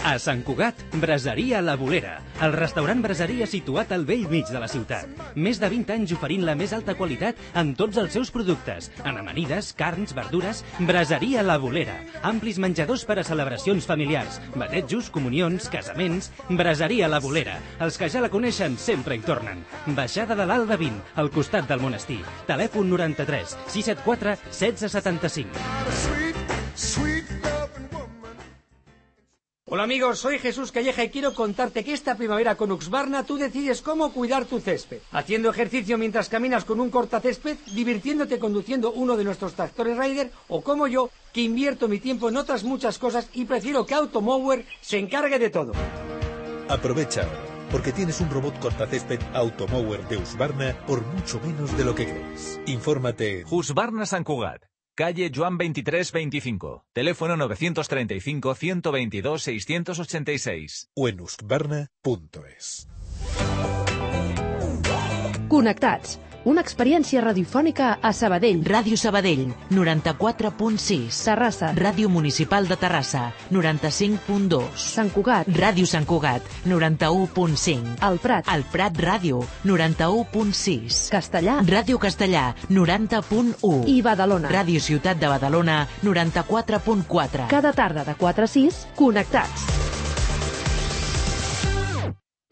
A Sant Cugat, Braseria La Bolera, el restaurant braseria situat al bell mig de la ciutat. Més de 20 anys oferint la més alta qualitat en tots els seus productes. En amanides, carns, verdures, Braseria La Bolera. Amplis menjadors per a celebracions familiars, batejos, comunions, casaments. Braseria La Bolera. Els que ja la coneixen sempre hi tornen. Baixada de l'Alba 20, al costat del monestir. Telèfon 93 674 1675. Hola amigos, soy Jesús Calleja y quiero contarte que esta primavera con Husqvarna tú decides cómo cuidar tu césped. Haciendo ejercicio mientras caminas con un cortacésped, divirtiéndote conduciendo uno de nuestros tractores Raider, o como yo, que invierto mi tiempo en otras muchas cosas y prefiero que Automower se encargue de todo. Aprovecha, porque tienes un robot cortacésped Automower de Husqvarna por mucho menos de lo que crees. Infórmate. Husqvarna Sant Cugat. Calle Joan 2325. Teléfono 932-622-686. O en husqvarna.es. Connectats. Una experiència radiofònica a Sabadell. Ràdio Sabadell, 94.6. Terrassa. Ràdio Municipal de Terrassa, 95.2. Sant Cugat. Ràdio Sant Cugat, 91.5. El Prat. El Prat Ràdio, 91.6. Castellà. Ràdio Castellà, 90.1. I Badalona. Ràdio Ciutat de Badalona, 94.4. Cada tarda de 4 a 6, connectats.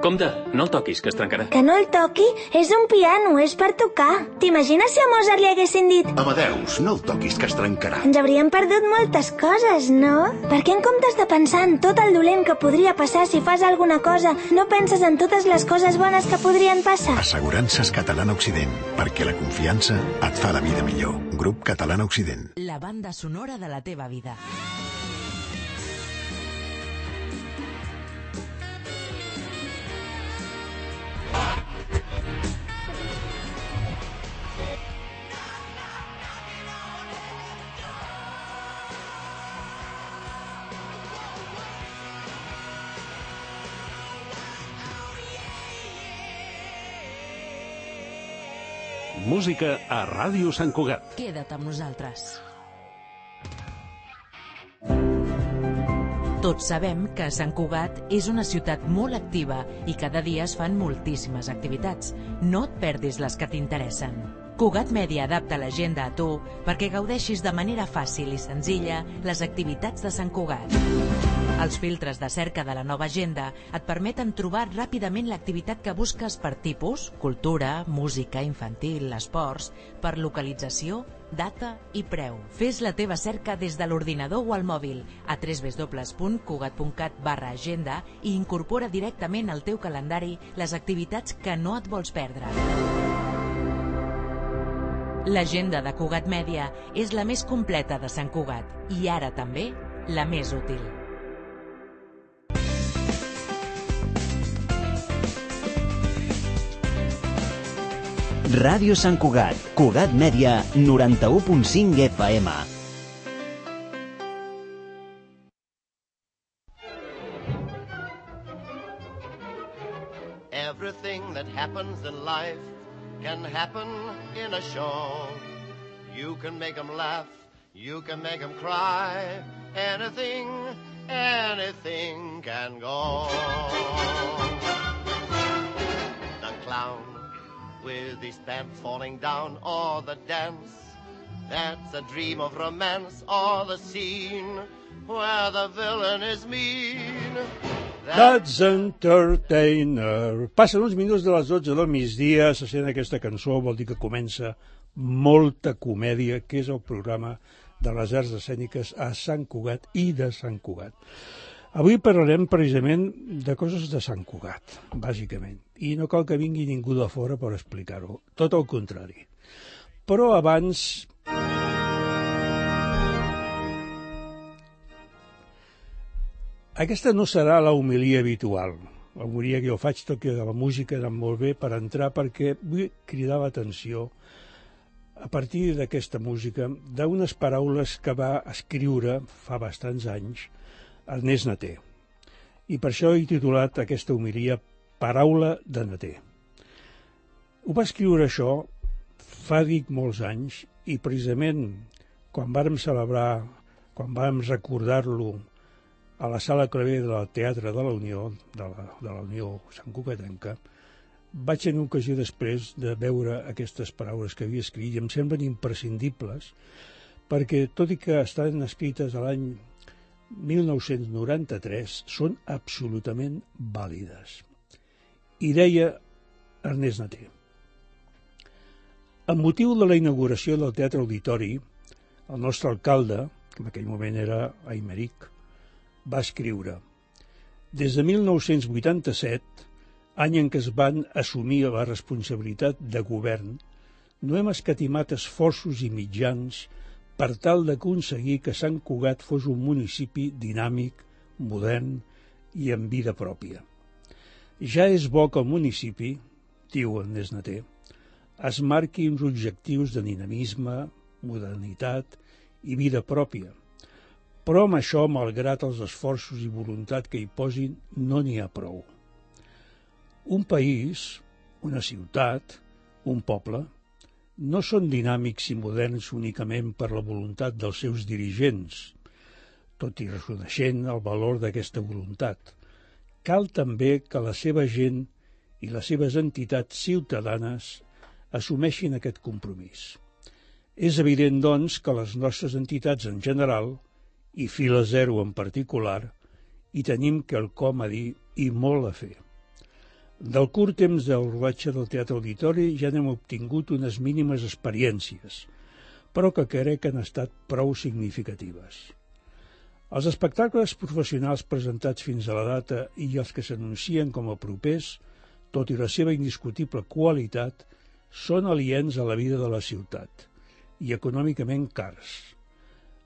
Compte, no el toquis, que es trencarà. Que no el toqui? És un piano, és per tocar. T'imagines si a Mozart li haguessin dit Amadeus, no el toquis, que es trencarà. ens hauríem perdut moltes coses, no? Perquè en comptes de pensar en tot el dolent que podria passar si fas alguna cosa, no penses en totes les coses bones que podrien passar? Assegurances Catalana Occident, perquè la confiança et fa la vida millor. Grup Catalana Occident. La banda sonora de la teva vida. Música a Ràdio Sant Cugat. Queda't amb nosaltres. Tots sabem que Sant Cugat és una ciutat molt activa i cada dia es fan moltíssimes activitats. No et perdis les que t'interessen. Cugat Mèdia adapta l'agenda a tu perquè gaudeixis de manera fàcil i senzilla les activitats de Sant Cugat. Els filtres de cerca de la nova agenda et permeten trobar ràpidament l'activitat que busques per tipus, cultura, música, infantil, esports, per localització, data i preu. Fes la teva cerca des de l'ordinador o al mòbil a www.cugat.cat/agenda i incorpora directament al teu calendari les activitats que no et vols perdre. L'agenda de Cugat Mèdia és la més completa de Sant Cugat i ara també la més útil. Ràdio Sant Cugat, Cugat Mèdia, 91.5 FM. Everything that happens in life can happen in a show. You can make them laugh, you can make them cry. Anything, anything can go. The clown with his pants falling down, or the dance that's a dream of romance, or the scene where the villain is mean. That's Entertainer. Passen uns minuts de les 12 del migdia, se sent aquesta cançó, vol dir que comença molta comèdia, que és el programa de les arts escèniques a Sant Cugat i de Sant Cugat. Avui parlarem precisament de coses de Sant Cugat, bàsicament, i no cal que vingui ningú de fora per explicar-ho, tot el contrari. Però abans... Aquesta no serà la homilia habitual. La homilia que jo faig, tot que la música ha anat molt bé per entrar, perquè vull cridar l'atenció a partir d'aquesta música d'unes paraules que va escriure fa bastants anys Ernest Naté. I per això he titulat aquesta homilia Paraula de Naté. Ho va escriure això fa, dic, molts anys, i precisament quan vàrem celebrar, quan vàrem recordar-lo a la sala Clavé del Teatre de la Unió, de la Unió Santcugatenca, vaig tenir ocasió després de veure aquestes paraules que havia escrit i em semblen imprescindibles perquè, tot i que estan escrites a l'any 1993, són absolutament vàlides. I deia Ernest Naté: amb motiu de la inauguració del Teatre Auditori, el nostre alcalde, que en aquell moment era Aymeric, va escriure: des de 1987, any en què es van assumir la responsabilitat de govern, no hem escatimat esforços i mitjans per tal d'aconseguir que Sant Cugat fos un municipi dinàmic, modern i amb vida pròpia. Ja és bo que el municipi, diu Ernest Naté, es marqui uns objectius de dinamisme, modernitat i vida pròpia, però amb això, malgrat els esforços i voluntat que hi posin, no n'hi ha prou. Un país, una ciutat, un poble, no són dinàmics i moderns únicament per la voluntat dels seus dirigents, tot i reconeixent el valor d'aquesta voluntat. Cal també que la seva gent i les seves entitats ciutadanes assumeixin aquest compromís. És evident, doncs, que les nostres entitats en general, i Fila Zero en particular, hi tenim quelcom a dir i molt a fer. Del curt temps del rodatge del Teatre Auditori ja n'hem obtingut unes mínimes experiències, però que crec que han estat prou significatives. Els espectacles professionals presentats fins a la data i els que s'anuncien com a propers, tot i la seva indiscutible qualitat, són aliens a la vida de la ciutat i econòmicament cars.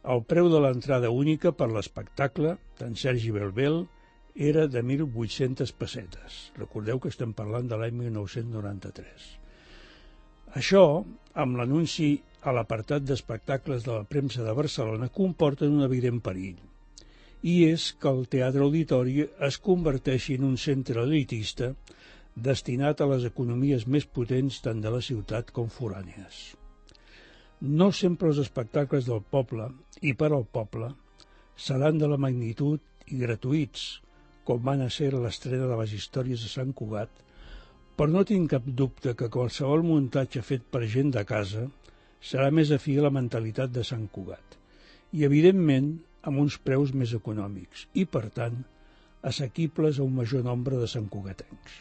El preu de l'entrada única per l'espectacle, d'en Sergi Belbel, era de 1.800 pessetes. Recordeu que estem parlant de l'any 1993. Això, amb l'anunci a l'apartat d'espectacles de la premsa de Barcelona, comporta un evident perill. I és que el Teatre Auditori es converteixi en un centre elitista destinat a les economies més potents tant de la ciutat com forànies. No sempre els espectacles del poble i per al poble seran de la magnitud i gratuïts, com van a ser l'estrena de les històries de Sant Cugat, però no tinc cap dubte que qualsevol muntatge fet per gent de casa serà més afí a la mentalitat de Sant Cugat i, evidentment, amb uns preus més econòmics i, per tant, assequibles a un major nombre de santcugatencs.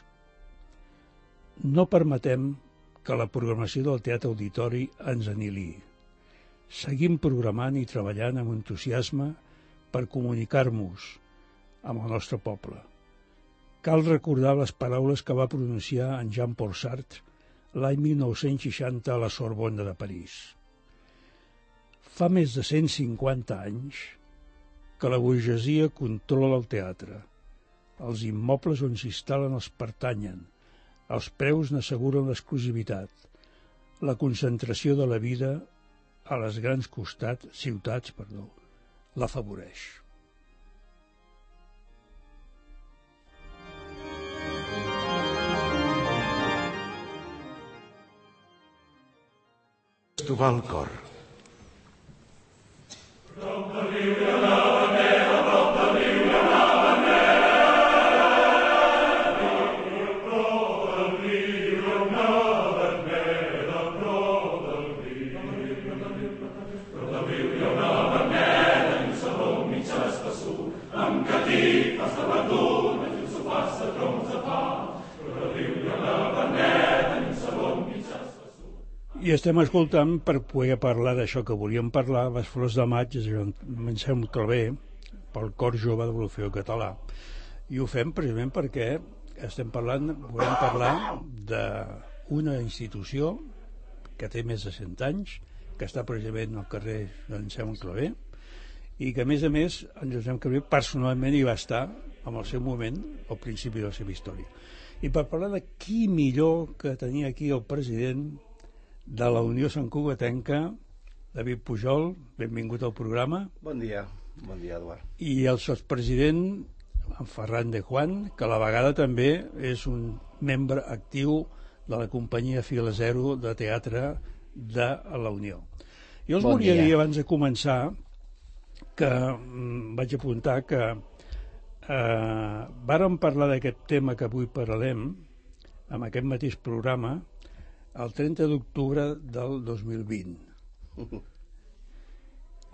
No permetem que la programació del Teatre Auditori ens aniliï. Seguim programant i treballant amb entusiasme per comunicar-nos amb el nostre poble. Cal recordar les paraules que va pronunciar en Jean-Paul Sartre l'any 1960 a la Sorbona de París. Fa més de 150 anys que la burgesia controla el teatre. Els immobles on s'instal·len els pertanyen, els preus n'asseguren l'exclusivitat. La concentració de la vida a les grans ciutats l'afavoreix. Estovar el cor. I estem escoltant, per poder parlar d'això que volíem parlar, Les flors de maig, Anselm Clavé, pel Cor Jove de l'Orfeó Català. I ho fem precisament perquè volem parlar d'una institució que té més de 100 anys, que està precisament al carrer d'Anselm Clavé, i que, a més, en Josep Clavé personalment hi va estar en el seu moment, al principi de la seva història. I per parlar de qui millor que tenir aquí el president de la Unió Santcugatenca, David Pujol, benvingut al programa. Bon dia, Eduard. I el sotspresident, en Ferran de Juan, que a la vegada també és un membre actiu de la companyia Fila Zero de teatre de la Unió. Jo us volia dir, abans de començar, que vaig apuntar que Vàrem parlar d'aquest tema que avui parlem amb aquest mateix programa el 30 d'octubre del 2020.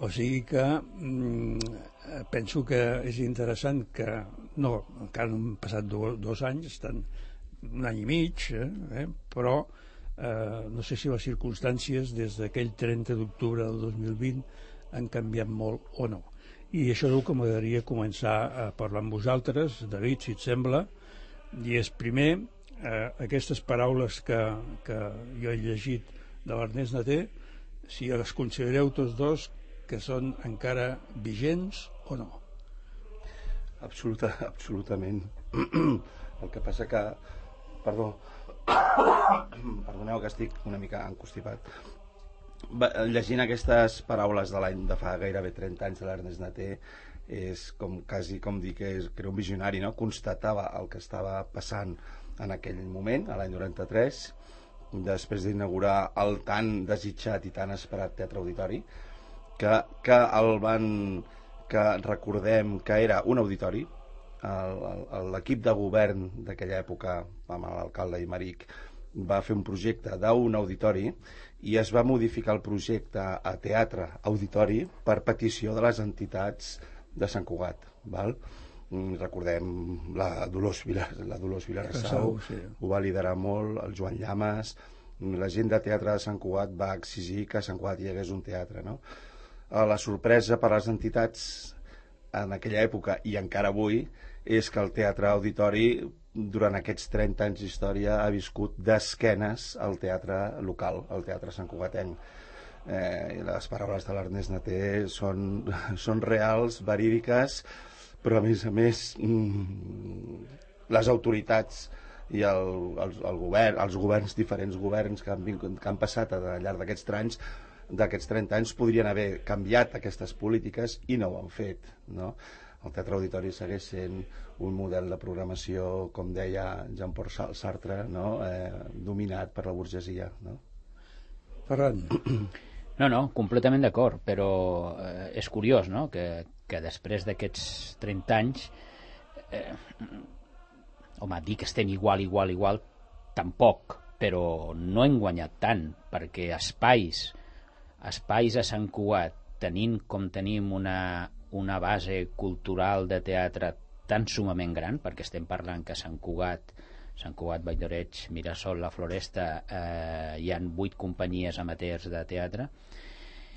O sigui que penso que és interessant que... No, encara no han passat 2 anys, estan un any i mig, però no sé si les circumstàncies des d'aquell 30 d'octubre del 2020 han canviat molt o no. I això és el que m'agradaria començar a parlar amb vosaltres, David, si et sembla, i és primer aquestes paraules que jo he llegit de l'Ernest Naté, si les considereu tots dos que són encara vigents o no? Absolutament. El que passa que... Perdoneu que estic una mica encostipat. Llegint aquestes paraules de fa gairebé 30 anys de l'Ernest Naté, és quasi com dir que era un visionari, no? Constatava el que estava passant en aquell moment, a l'any 93, després d'inaugurar el tan desitjat i tan esperat Teatre Auditori, que recordem que era un auditori. L'equip de govern d'aquella època, amb l'alcalde Imeric, va fer un projecte d'un auditori i es va modificar el projecte a teatre auditori per petició de les entitats de Sant Cugat, val? Recordem la Dolors Vilarassau, sí. Ho va liderar molt, el Joan Llamas, la gent de teatre de Sant Cugat va exigir que a Sant Cugat hi hagués un teatre, no? La sorpresa per a les entitats en aquella època i encara avui és que el teatre auditori durant aquests 30 anys d'història ha viscut d'esquenes al teatre local, al teatre santcugatenc. Les paraules de l'Ernest Naté són reals, verídiques, però a més les autoritats i els governs, diferents governs que han passat al llarg d'aquests 30 anys podrien haver canviat aquestes polítiques i no ho han fet, no? El Teatre Auditori segueix sent un model de programació, com deia Jean-Paul Sartre, no? Dominat per la burgesia, no? Ferran. No, completament d'acord, però és curiós, no?, que després d'aquests 30 anys home, dir que estem igual tampoc, però no hem guanyat tant, perquè espais a Sant Cugat, tenint com tenim una base cultural de teatre tan sumament gran, perquè estem parlant que a Sant Cugat, Vall d'Oreig, Mirasol, La Floresta, hi ha 8 companyies amateurs de teatre.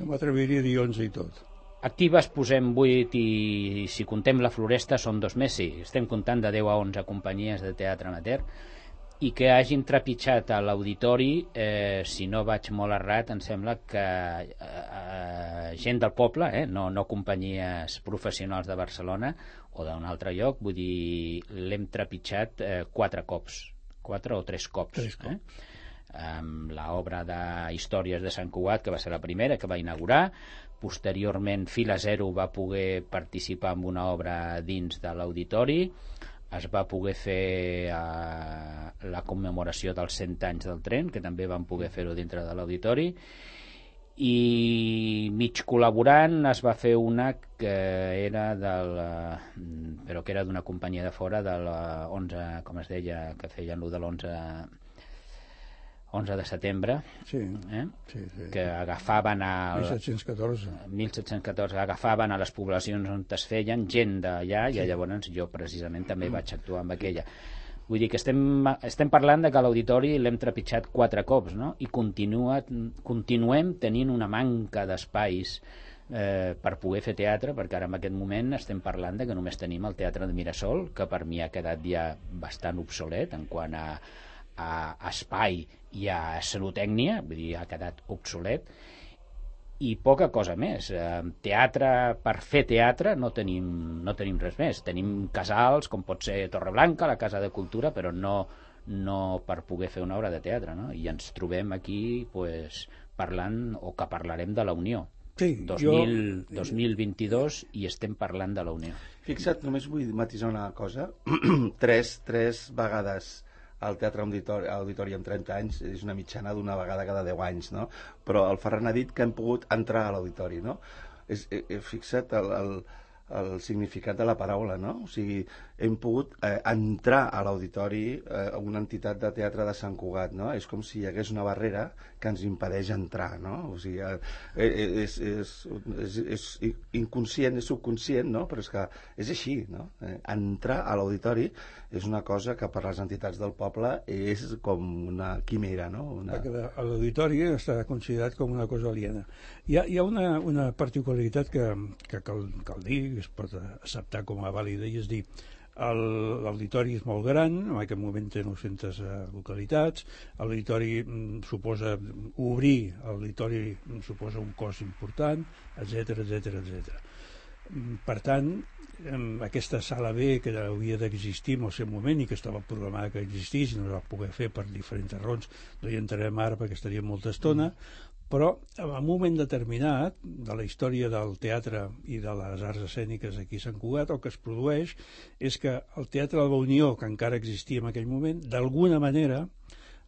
No m'atreviria a dir 11 i tot. Actives posem 8 i si contem La Floresta són 2 més, sí. Estem comptant de 10 a 11 companyies de teatre amateur i que hagin trepitjat a l'auditori, si no vaig molt errat, em sembla que gent del poble, no companyies professionals de Barcelona o d'un altre lloc, vull dir, l'hem trepitjat 4 cops, 4 o 3 cops. Amb l'obra de Històries de Sant Cugat, que va ser la primera que va inaugurar. Posteriorment Fila Zero va poder participar en una obra dins de l'auditori. Es va poder fer la commemoració dels 100 anys del tren, que també van poder fer-ho dintre de l'auditori, i mig col·laborant es va fer una que era però que era d'una companyia de fora de la 11, com es deia, que feien lo de l'11 de setembre, sí. Que agafaven 1714 agafaven a les poblacions on es feien gent d'allà, i llavors jo precisament també vaig actuar amb aquella. Vull dir que estem parlant de que l'auditori l'hem trepitjat 4 cops, no? I continuem tenint una manca d'espais per poder fer teatre, perquè ara en aquest moment estem parlant de que només tenim el Teatre de Mirasol, que per mi ha quedat ja bastant obsolet en quant a espai i a escenotècnia, vull dir, ha quedat obsolet, i poca cosa més. Teatre, per fer teatre no tenim res més. Tenim casals, com pot ser Torreblanca, la Casa de Cultura, però no per poder fer una obra de teatre, no? I ens trobem aquí parlant, o que parlarem de la Unió. Sí, 2022 i estem parlant de la Unió. Fixa't, només vull matisar una cosa. Tres vegades al Teatre Auditori en 30 anys és una mitjana d'una vegada cada 10 anys, no? Però el Ferran ha dit que hem pogut entrar a l'auditori, no? Fixa't el significat de la paraula, no? O sigui, hem pogut entrar a l'auditori una entitat de teatre de Sant Cugat, no? És com si hi hagués una barrera que ens impedeix entrar, no? O sigui, és inconscient, és subconscient, no? Però és que és així, no? Entrar a l'auditori és una cosa que per les entitats del poble és com una quimera, no? Perquè l'auditori està considerat com una cosa aliena. Hi ha una particularitat que cal dir, que es pot acceptar com a vàlida, i és dir, l'auditori és molt gran, en aquest moment té 900 localitats, l'auditori suposa obrir, l'auditori suposa un cost important, etc. Per tant, aquesta sala B que havia d'existir en el seu moment i que estava programada que existís i no es va poder fer per diferents raons, no hi entrarem ara perquè estaria molta estona, però en un moment determinat de la història del teatre i de les arts escèniques aquí a Sant Cugat, el que es produeix és que el Teatre de la Unió, que encara existia en aquell moment, d'alguna manera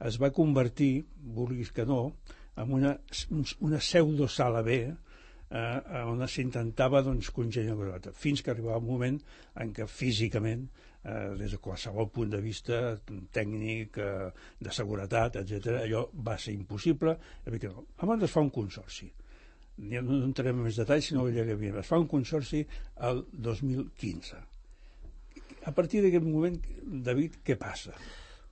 es va convertir, vulguis que no, en una pseudosala B on s'intentava congeniar, fins que arribava un moment en què físicament, des de qualsevol punt de vista tècnic, de seguretat, etc., allò va ser impossible. Abans es fa un consorci, no entrarem en més detalls, sinó que es fa un consorci el 2015. A partir d'aquest moment, David, què passa?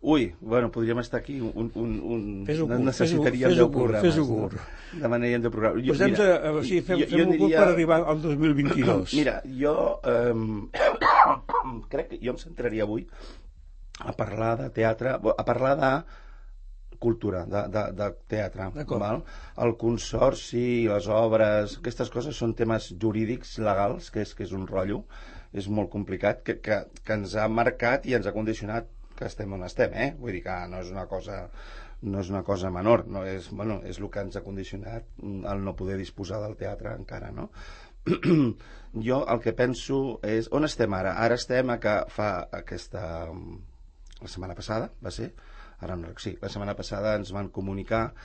Ui, bueno, podríem estar aquí necessitaríem 10 programes. Fes-ho curt. Demanaríem 10 programes. Fem-ho curt per arribar al 2022. Mira, jo crec que jo em centraria avui a parlar de teatre, a parlar de cultura, de teatre. Val? El consorci, les obres, aquestes coses són temes jurídics, legals, que és un rotllo, és molt complicat, que ens ha marcat i ens ha condicionat que estem on estem, Vull dir que no és una cosa menor, no és, bueno, és el que ens ha condicionat el no poder disposar del teatre encara, no? Jo el que penso és, on estem ara? Ara estem a que fa la setmana passada, va ser? Ara no, sí, la setmana passada ens van comunicar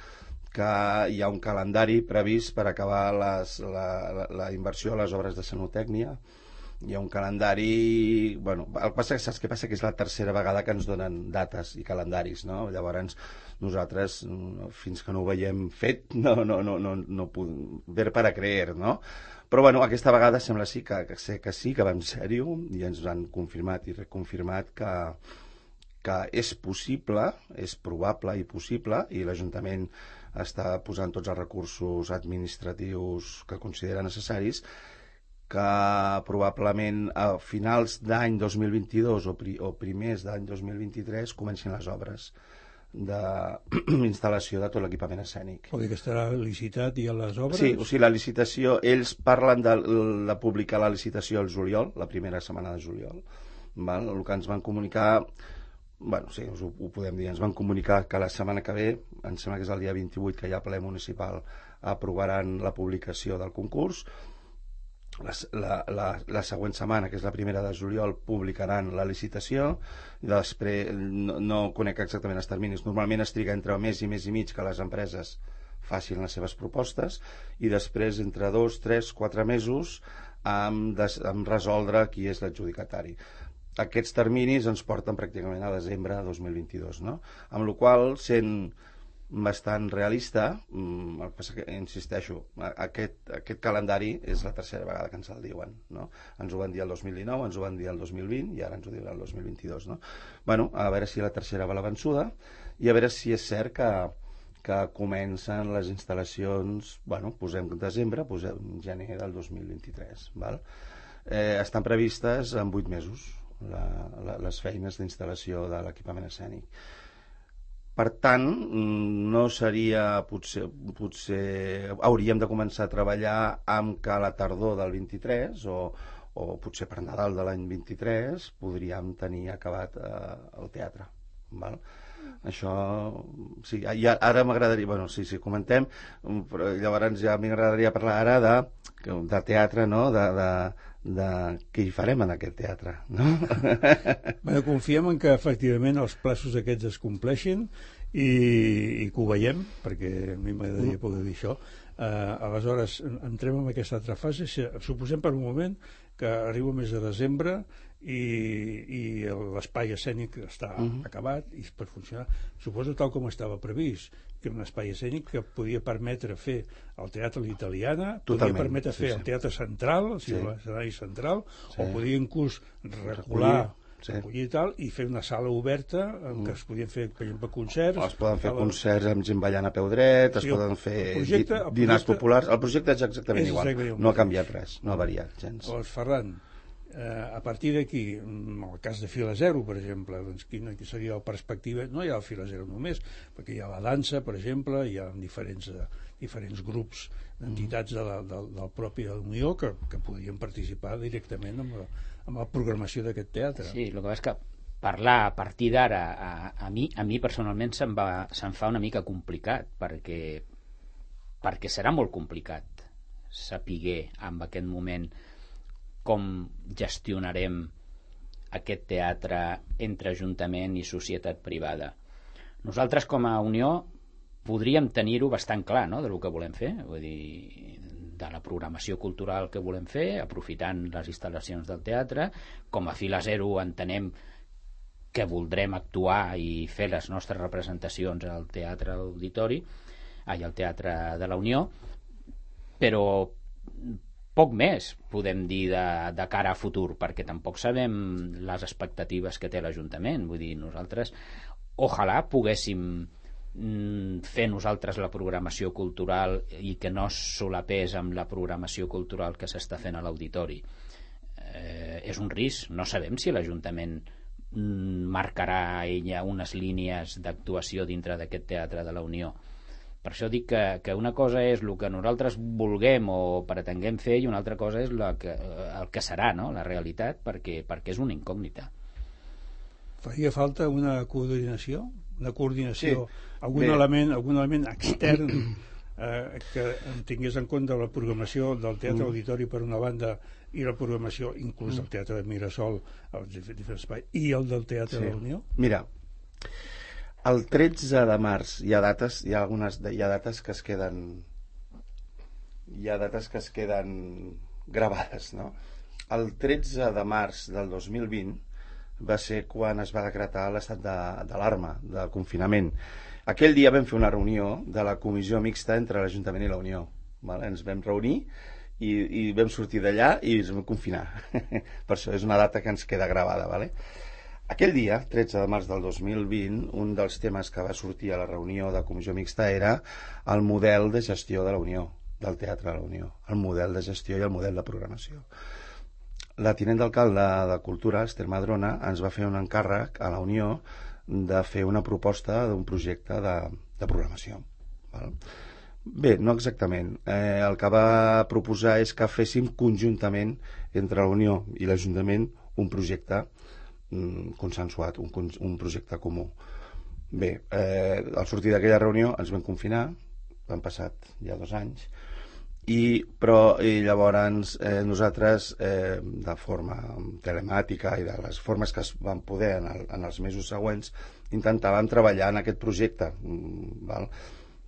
que hi ha un calendari previst per acabar la inversió a les obres de sanotècnia. Hi ha un calendari... Bueno, saps què passa? Que és la tercera vegada que ens donen dates i calendaris, no? Llavors, nosaltres, fins que no ho veiem fet, no podem ver para creer, no? Però, bueno, aquesta vegada sembla que sí, que va en sèrio, i ens han confirmat i reconfirmat que és possible, és probable i possible, i l'Ajuntament està posant tots els recursos administratius que considera necessaris, que probablement a finals d'any 2022 o primers d'any 2023 comencin les obres d'instal·lació de tot l'equipament escènic. Vol dir que estarà licitat i a les obres? Sí, o sigui, la licitació, ells parlen de publicar la licitació al juliol, la primera setmana de juliol. Val? El que ens van comunicar, bueno, sí, ho podem dir, ens van comunicar que la setmana que ve, em sembla que és el dia 28, que hi ha ple municipal, aprovaran la publicació del concurs. La següent setmana, que és la primera de juliol, publicaran la licitació. Després, no conec exactament els terminis, normalment es triga entre mes i mig que les empreses facin les seves propostes, i després entre 2, 3, 4 mesos amb resoldre qui és l'adjudicatari. Aquests terminis ens porten pràcticament a desembre de 2022, no? Amb la qual cosa, sent bastant realista, el que passa que, insisteixo, aquest calendari és la tercera vegada que ens el diuen, no? Ens ho van dir el 2019, ens ho van dir el 2020 i ara ens ho diuen el 2022, no? Bueno, a veure si la tercera va la vençuda i a veure si és cert que comencen les instal·lacions, bueno, posem desembre, posem gener del 2023, val? Estan previstes en 8 mesos les feines d'instal·lació de l'equipament escènic. Per tant, no seria, potser hauríem de començar a treballar amb que a la tardor del 23 o potser per Nadal de l'any 23 podríem tenir acabat el teatre. Val? Això, sí, ara m'agradaria, bueno, sí, comentem, però llavors ja m'agradaria parlar ara de teatre, no?, de què hi farem en aquest teatre, no? Bé, confiem en que efectivament els plaços aquests es compleixin i que ho veiem, perquè a mi m'agradaria poder dir això. Aleshores, entrem en aquesta altra fase. Suposem per un moment que arriba el mes de desembre i l'espai escènic està acabat i per funcionar. Suposo tal com estava previst, que era un espai escènic que podia permetre fer el Teatre L'Italiana, podia permetre fer el Teatre Central, o sigui, l'escenari central, o podia inclús recular, recollir i tal, i fer una sala oberta en què es podien fer, per exemple, concerts. Es poden fer concerts amb gent ballant a peu dret, es poden fer dinars populars. El projecte és exactament igual, no ha canviat res, no ha variat gens. Llavors, Ferran, a partir d'aquí, en el cas de Fila Zero, per exemple, doncs quina seria la perspectiva? No hi ha el Fila Zero només, perquè hi ha la dansa, per exemple, hi ha diferents grups d'entitats del propi Unió que podrien participar directament amb la programació d'aquest teatre. Sí, el que és que parlar a partir d'ara a mi personalment se'm fa una mica complicat, perquè serà molt complicat saber en aquest moment com gestionarem aquest teatre entre Ajuntament i societat privada. Nosaltres com a Unió podríem tenir-ho bastant clar, no?, del que volem fer, vull dir, de la programació cultural que volem fer, aprofitant les instal·lacions del teatre. Com a Fila Zero entenem que voldrem actuar i fer les nostres representacions al Teatre Auditori, al Teatre de la Unió, però poc més podem dir de cara a futur, perquè tampoc sabem les expectatives que té l'Ajuntament. Vull dir, nosaltres ojalà poguéssim fer nosaltres la programació cultural i que no solapés amb la programació cultural que s'està fent a l'auditori. És un risc, no sabem si l'Ajuntament marcarà ella unes línies d'actuació dintre d'aquest Teatre de la Unió. Per això dic que una cosa és el que nosaltres vulguem o pretenguem fer i una altra cosa és el que serà, no?, la realitat, perquè és una incògnita. Faria falta una coordinació, algun element extern que tingués en compte la programació del Teatre Auditori per una banda i la programació inclús del Teatre de Mirasol i el del Teatre de la Unió? Mira, el 13 de març hi ha dates que es queden gravades, no? El 13 de març del 2020 va ser quan es va decretar l'estat d'alarma, de confinament. Aquell dia vam fer una reunió de la comissió mixta entre l'Ajuntament i la Unió. Ens vam reunir i vam sortir d'allà i ens vam confinar. Per això és una data que ens queda gravada. Aquell dia, 13 de març del 2020, un dels temes que va sortir a la reunió de comissió mixta era el model de gestió de la Unió, del Teatre de la Unió, el model de gestió i el model de programació. La tinent d'alcalde de Cultura, Esther Madrona, ens va fer un encàrrec a la Unió de fer una proposta d'un projecte de programació. Bé, no exactament. El que va proposar és que féssim conjuntament entre la Unió i l'Ajuntament un projecte consensuat, un projecte comú. Bé, al sortir d'aquella reunió ens vam confinar, han passat ja 2 anys, però llavors nosaltres de forma telemàtica i de les formes que es van poder en els mesos següents intentàvem treballar en aquest projecte.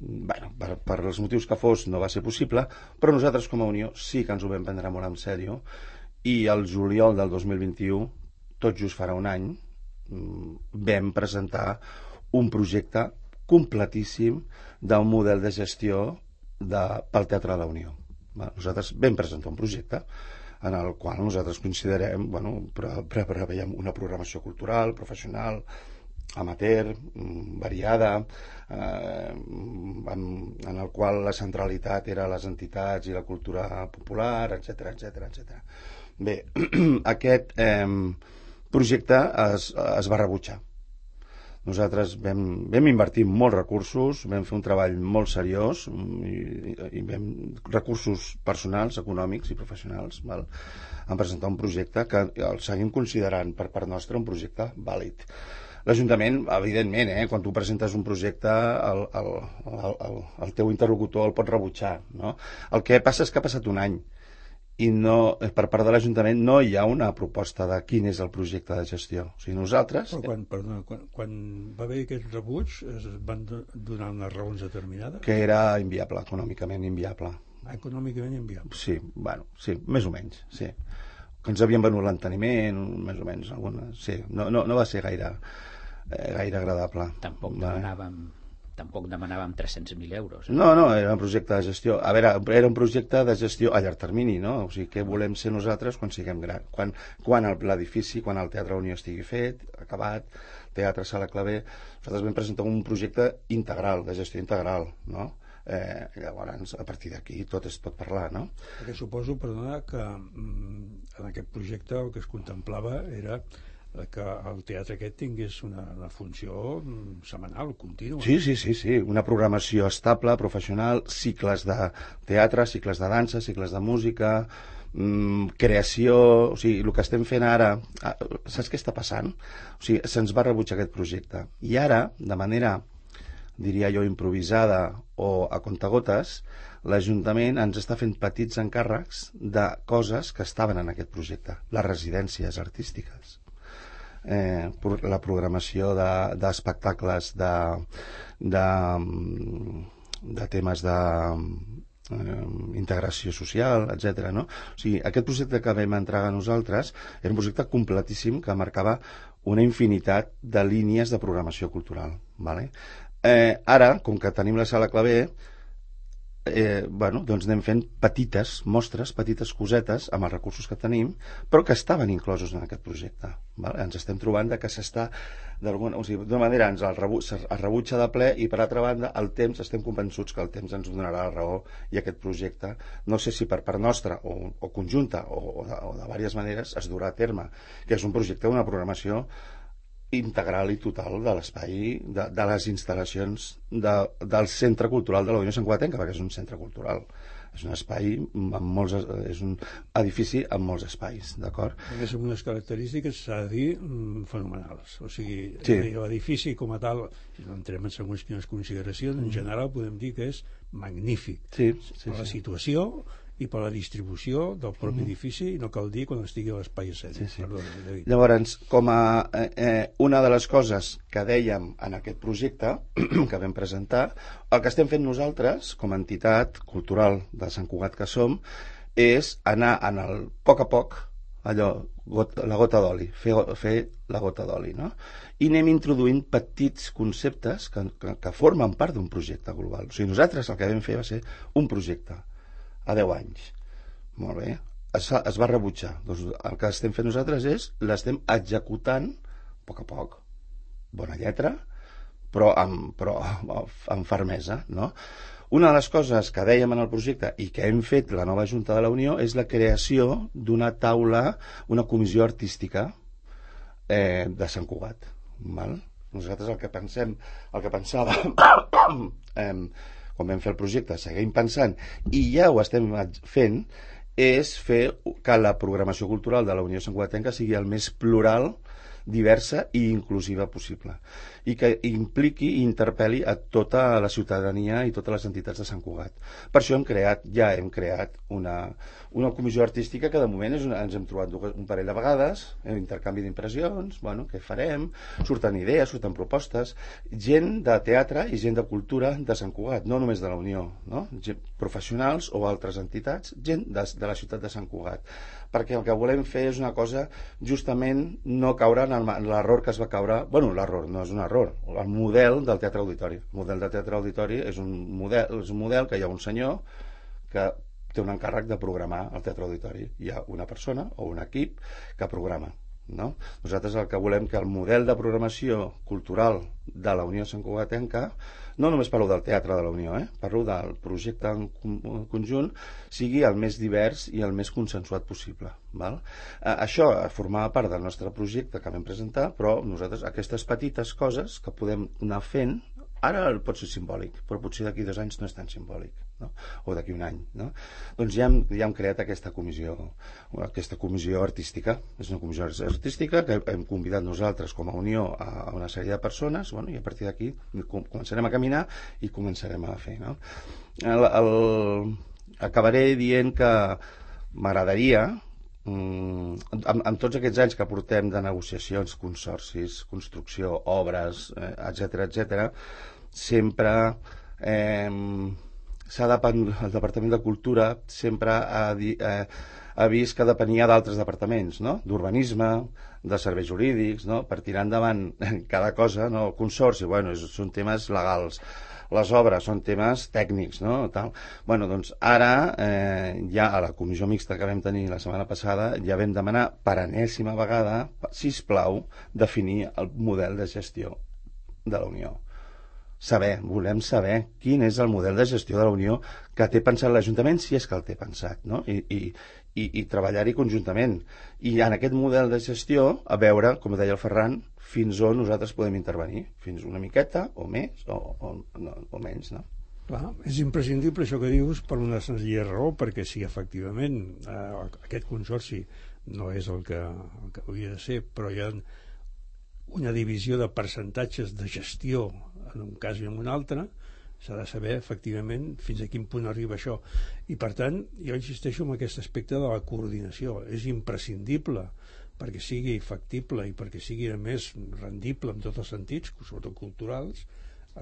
Per els motius que fos no va ser possible, però nosaltres com a Unió sí que ens ho vam prendre molt en sèrio i el juliol del 2021, tot just farà un any, vam presentar un projecte completíssim d'un model de gestió pel Teatre de la Unió. Nosaltres vam presentar un projecte en el qual nosaltres considerem, preveiem una programació cultural, professional, amateur, variada, en el qual la centralitat era les entitats i la cultura popular, etc. Bé, aquest projecte es va rebutjar. Nosaltres vam invertir molts recursos, vam fer un treball molt seriós i recursos personals, econòmics i professionals en presentar un projecte que el seguim considerant per part nostra un projecte vàlid. L'Ajuntament, evidentment, quan tu presentes un projecte el teu interlocutor el pot rebutjar, no? El que passa és que ha passat un any i no, per part de l'Ajuntament no hi ha una proposta de quin és el projecte de gestió. O sigui, nosaltres... Però quan va haver aquest rebuig es van donar unes raons determinades? Que era inviable, econòmicament inviable. Econòmicament inviable? Sí, bueno, sí, més o menys, sí. Que ens havien venut l'enteniment, més o menys, algunes, sí. No va ser gaire agradable. Tampoc demanàvem 300.000 euros. No, era un projecte de gestió. A veure, era un projecte de gestió a llarg termini, no? O sigui, què volem ser nosaltres quan siguem grans? Quan l'edifici, quan el Teatre Unió estigui fet, acabat, Teatre Sala Clavé, nosaltres vam presentar un projecte integral, de gestió integral, no? Llavors, a partir d'aquí tot es pot parlar, no? Perquè suposo, perdona, que en aquest projecte el que es contemplava era que el teatre aquest tingués una funció setmanal, contínua. Sí, una programació estable, professional, cicles de teatre, cicles de dansa, cicles de música, creació, o sigui, el que estem fent ara, saps què està passant? O sigui, se'ns va rebutjar aquest projecte. I ara, de manera, diria jo, improvisada o a contagotes, l'Ajuntament ens està fent petits encàrrecs de coses que estaven en aquest projecte, les residències artístiques. La programació d'espectacles de temes d'integració social, etc. No? O sigui, aquest projecte que vam entregar nosaltres era un projecte completíssim que marcava una infinitat de línies de programació cultural. Vale? Ara, com que tenim la Sala Clavé, doncs anem fent petites mostres, petites cosetes amb els recursos que tenim, però que estaven inclosos en aquest projecte. Vale? Ens estem trobant que s'està d'una manera es rebutja de ple, i per altra banda el temps, estem convençuts que el temps ens donarà la raó, i aquest projecte, no sé si per part nostra o conjunta o de diverses maneres, es durà a terme, que és un projecte d'una programació integral i total de l'espai, de les instal·lacions del Centre Cultural de la Unió Sant Cugatenca, perquè és un centre cultural, és un espai és un edifici amb molts espais, d'acord? És amb unes característiques, s'ha de dir, fenomenals. O sigui, l'edifici com a tal, si no entrem en segons quines consideracions, en general podem dir que és magnífic. Per la situació i per la distribució del propi edifici, i no cal dir quan estigui a l'espai escènic. Llavors, com a una de les coses que dèiem en aquest projecte que vam presentar, el que estem fent nosaltres com a entitat cultural de Sant Cugat que som, és anar en el poc a poc, allò, la gota d'oli, fer la gota d'oli, no? I anem introduint petits conceptes que formen part d'un projecte global. O sigui, nosaltres el que vam fer va ser un projecte a 10 anys. Molt bé. Es va rebutjar. Doncs el que estem fent nosaltres és l'estem executant a poc a poc. Bona lletra, però amb fermesa, no? Una de les coses que dèiem en el projecte i que hem fet la nova Junta de la Unió és la creació d'una taula, una comissió artística de Sant Cugat. Val? Nosaltres el que pensàvem quan vam fer el projecte, seguim pensant, i ja ho estem fent, és fer que la programació cultural de la Unió Sant Cugatenca sigui el més plural, diversa i inclusiva possible, i que impliqui i interpel·li a tota la ciutadania i totes les entitats de Sant Cugat. Per això hem creat una comissió artística que de moment ens hem trobat un parell de vegades, intercanvi d'impressions, què farem, surten idees, surten propostes, gent de teatre i gent de cultura de Sant Cugat, no només de la Unió, no? Professionals o altres entitats, gent de la ciutat de Sant Cugat, perquè el que volem fer és una cosa, justament no caure en l'error que es va caure, l'error no és un error, el model del teatre auditori. El model del teatre auditori és un model que hi ha un senyor que té un encàrrec de programar el teatre auditori. Hi ha una persona o un equip que programa. No? Nosaltres el que volem que el model de programació cultural de la Unió Sant Cugatenca, no només parlo del teatre de la Unió, parlo del projecte en conjunt, sigui el més divers i el més consensuat possible. Val? Això formava part del nostre projecte que vam presentar, però nosaltres aquestes petites coses que podem anar fent, ara pot ser simbòlic, però potser d'aquí 2 anys no és tan simbòlic, no? O d'aquí 1 any, no? Doncs ja hem creat aquesta comissió artística. És una comissió artística que hem convidat nosaltres com a Unió a una sèrie de persones, i a partir d'aquí començarem a caminar i començarem a fer, no? Acabaré dient que m'agradaria, amb tots aquests anys que portem de negociacions, consorcis, construcció, obres, etc., sempre el Departament de Cultura sempre ha vist que depenia d'altres departaments, no? D'urbanisme, de serveis jurídics, no? Per tirar endavant cada cosa, no? El consorci, bueno, són temes legals, les obres són temes tècnics, no? Tal. Bueno, doncs ara, ja a la comissió mixta que vam tenir la setmana passada, ja vam demanar per enèsima vegada, sisplau, definir el model de gestió de la Unió. Volem saber quin és el model de gestió de la Unió que té pensat l'Ajuntament, si és que el té pensat, no? I treballar-hi conjuntament. I en aquest model de gestió, a veure, com deia el Ferran, fins on nosaltres podem intervenir, fins una miqueta o més o menys, no? Clar, és imprescindible això que dius per una senzilla raó, perquè si efectivament aquest consorci no és el que hauria de ser, però hi ha una divisió de percentatges de gestió en un cas i en un altre, s'ha de saber efectivament fins a quin punt arriba això. I per tant, jo insisteixo en aquest aspecte de la coordinació. És imprescindible perquè sigui factible i perquè sigui a més rendible en tots els sentits, sobretot culturals,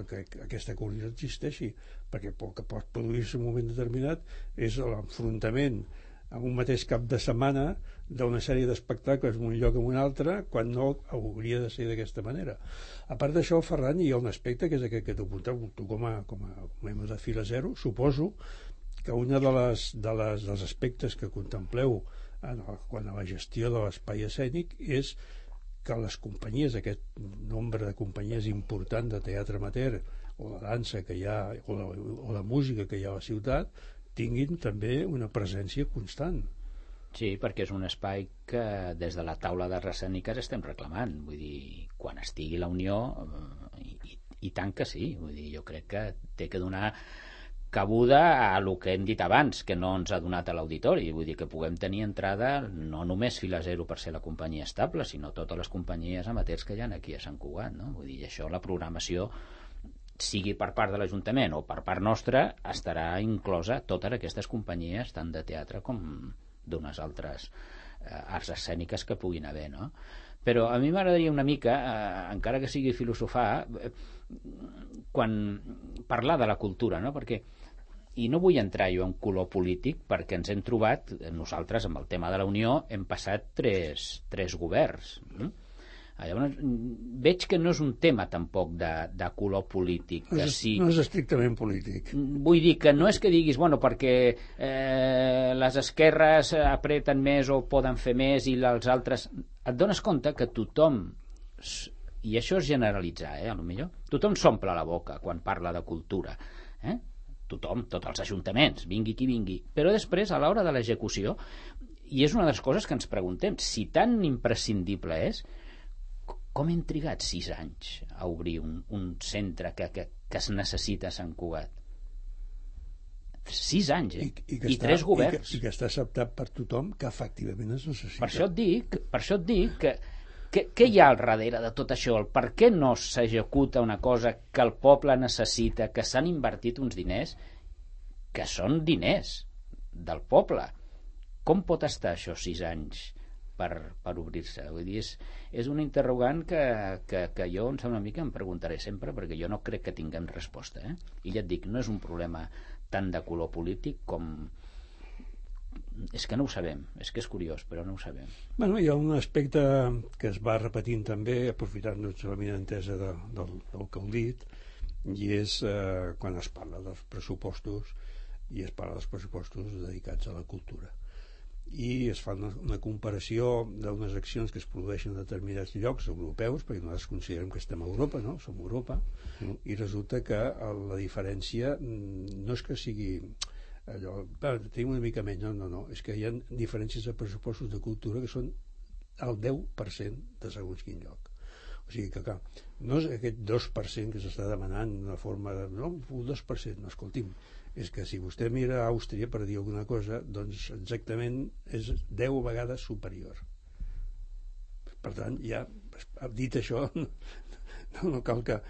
que aquesta coordinació existeixi, perquè el que pot produir-se en un moment determinat és l'enfrontament en un mateix cap de setmana d'una sèrie d'espectacles en un lloc o en un altre, quan no hauria de ser d'aquesta manera. A part d'això, Ferran, hi ha un aspecte que és aquest que t'ho apunteu, tu com a membre de Fila Zero, suposo que un dels aspectes que contempleu quan a la gestió de l'espai escènic és que les companyies, aquest nombre de companyies important de teatre amateur o de dansa que hi ha, o de música que hi ha a la ciutat, tinguin també una presència constant. Sí, perquè és un espai que des de la taula de escèniques estem reclamant. Vull dir, quan estigui la Unió, i tant que sí. Vull dir, jo crec que té que donar cabuda a el que hem dit abans, que no ens ha donat a l'auditori. Vull dir, que puguem tenir entrada no només Fila Zero per ser la companyia estable, sinó totes les companyies amateurs que hi ha aquí a Sant Cugat, no? Vull dir, això, la programació, sigui per part de l'Ajuntament o per part nostra, estarà inclosa totes aquestes companyies, tant de teatre com d'unes altres arts escèniques que puguin haver, no? Però a mi m'agradaria una mica, encara que sigui filosofar, quan parlar de la cultura, no? Perquè, i no vull entrar jo en color polític, perquè ens hem trobat, nosaltres amb el tema de la Unió hem passat tres governs, llavors veig que no és un tema tampoc de color polític, que sí, no és estrictament polític. Vull dir que no és que diguis perquè les esquerres apreten més o poden fer més i els altres, et dones compte que tothom, i això és generalitzar, a lo millor tothom s'omple la boca quan parla de cultura, tothom, tots els ajuntaments, vingui qui vingui, però després a l'hora de l'execució, i és una de les coses que ens preguntem, si tan imprescindible és, com hem trigat 6 anys a obrir un centre que es necessita a Sant Cugat? 6 anys, I 3 governs. I que està acceptat per tothom, que efectivament es necessita. Per això et dic que què hi ha al darrere de tot això? Per què no s'executa una cosa que el poble necessita, que s'han invertit uns diners, que són diners del poble? Com pot estar això 6 anys per obrir-se? Vull dir, és un interrogant que jo una mica em preguntaré sempre, perquè jo no crec que tinguem resposta, I ja et dic, no és un problema tant de color polític com... És que no ho sabem, és que és curiós, però no ho sabem. Bueno, hi ha un aspecte que es va repetint també, aprofitant la minentesa del que heu dit, i és quan es parla dels pressupostos, i es parla dels pressupostos dedicats a la cultura. I es fa una comparació d'unes accions que es produeixen en determinats llocs europeus, perquè nosaltres considerem que estem a Europa, no? Som Europa, i resulta que la diferència no és que sigui allò, tenim una mica menys, no, és que hi ha diferències de pressupostos de cultura que són el 10% de segons quin lloc. O sigui que, clar, no és aquest 2% que s'està demanant d'una forma de... No, el 2%, no, escolti'm, és que si vostè mira a Àustria, per dir alguna cosa, doncs exactament és 10 vegades superior. Per tant, ja dit això, no cal que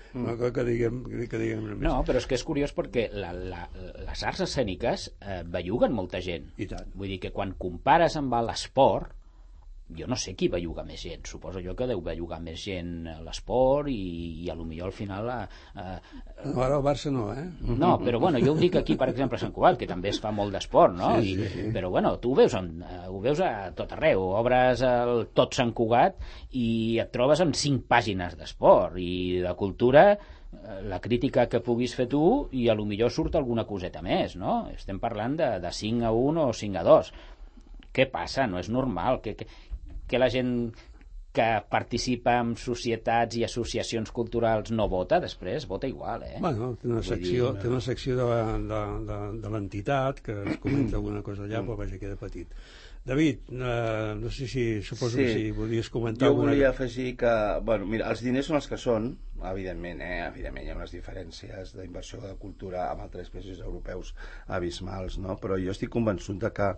diguem més. No, però és que és curiós perquè les arts escèniques belluguen molta gent. I tant. Vull dir que quan compares amb l'esport, jo no sé qui belluga més gent, suposo jo que deu bellugar més gent l'esport i a lo millor al final no, ara el Barça no, no, però bueno, jo ho dic aquí per exemple a Sant Cugat, que també es fa molt d'esport, no? Sí. Però bueno, tu ho veus a tot arreu, obres el tot Sant Cugat i et trobes amb 5 pàgines d'esport i de cultura, la crítica que puguis fer tu i a lo millor surt alguna coseta més, no? Estem parlant de 5-1 o 5-2. Què passa? No és normal que la gent que participa en societats i associacions culturals no vota, després vota igual, Bueno, té una secció de l'entitat que es comenta alguna cosa allà, però vaja, queda petit. David, no sé si suposo que si volies comentar... Jo volia afegir que, bueno, mira, els diners són els que són, evidentment, evidentment hi ha unes diferències d'inversió de cultura amb altres països europeus abismals, no? Però jo estic convençut de que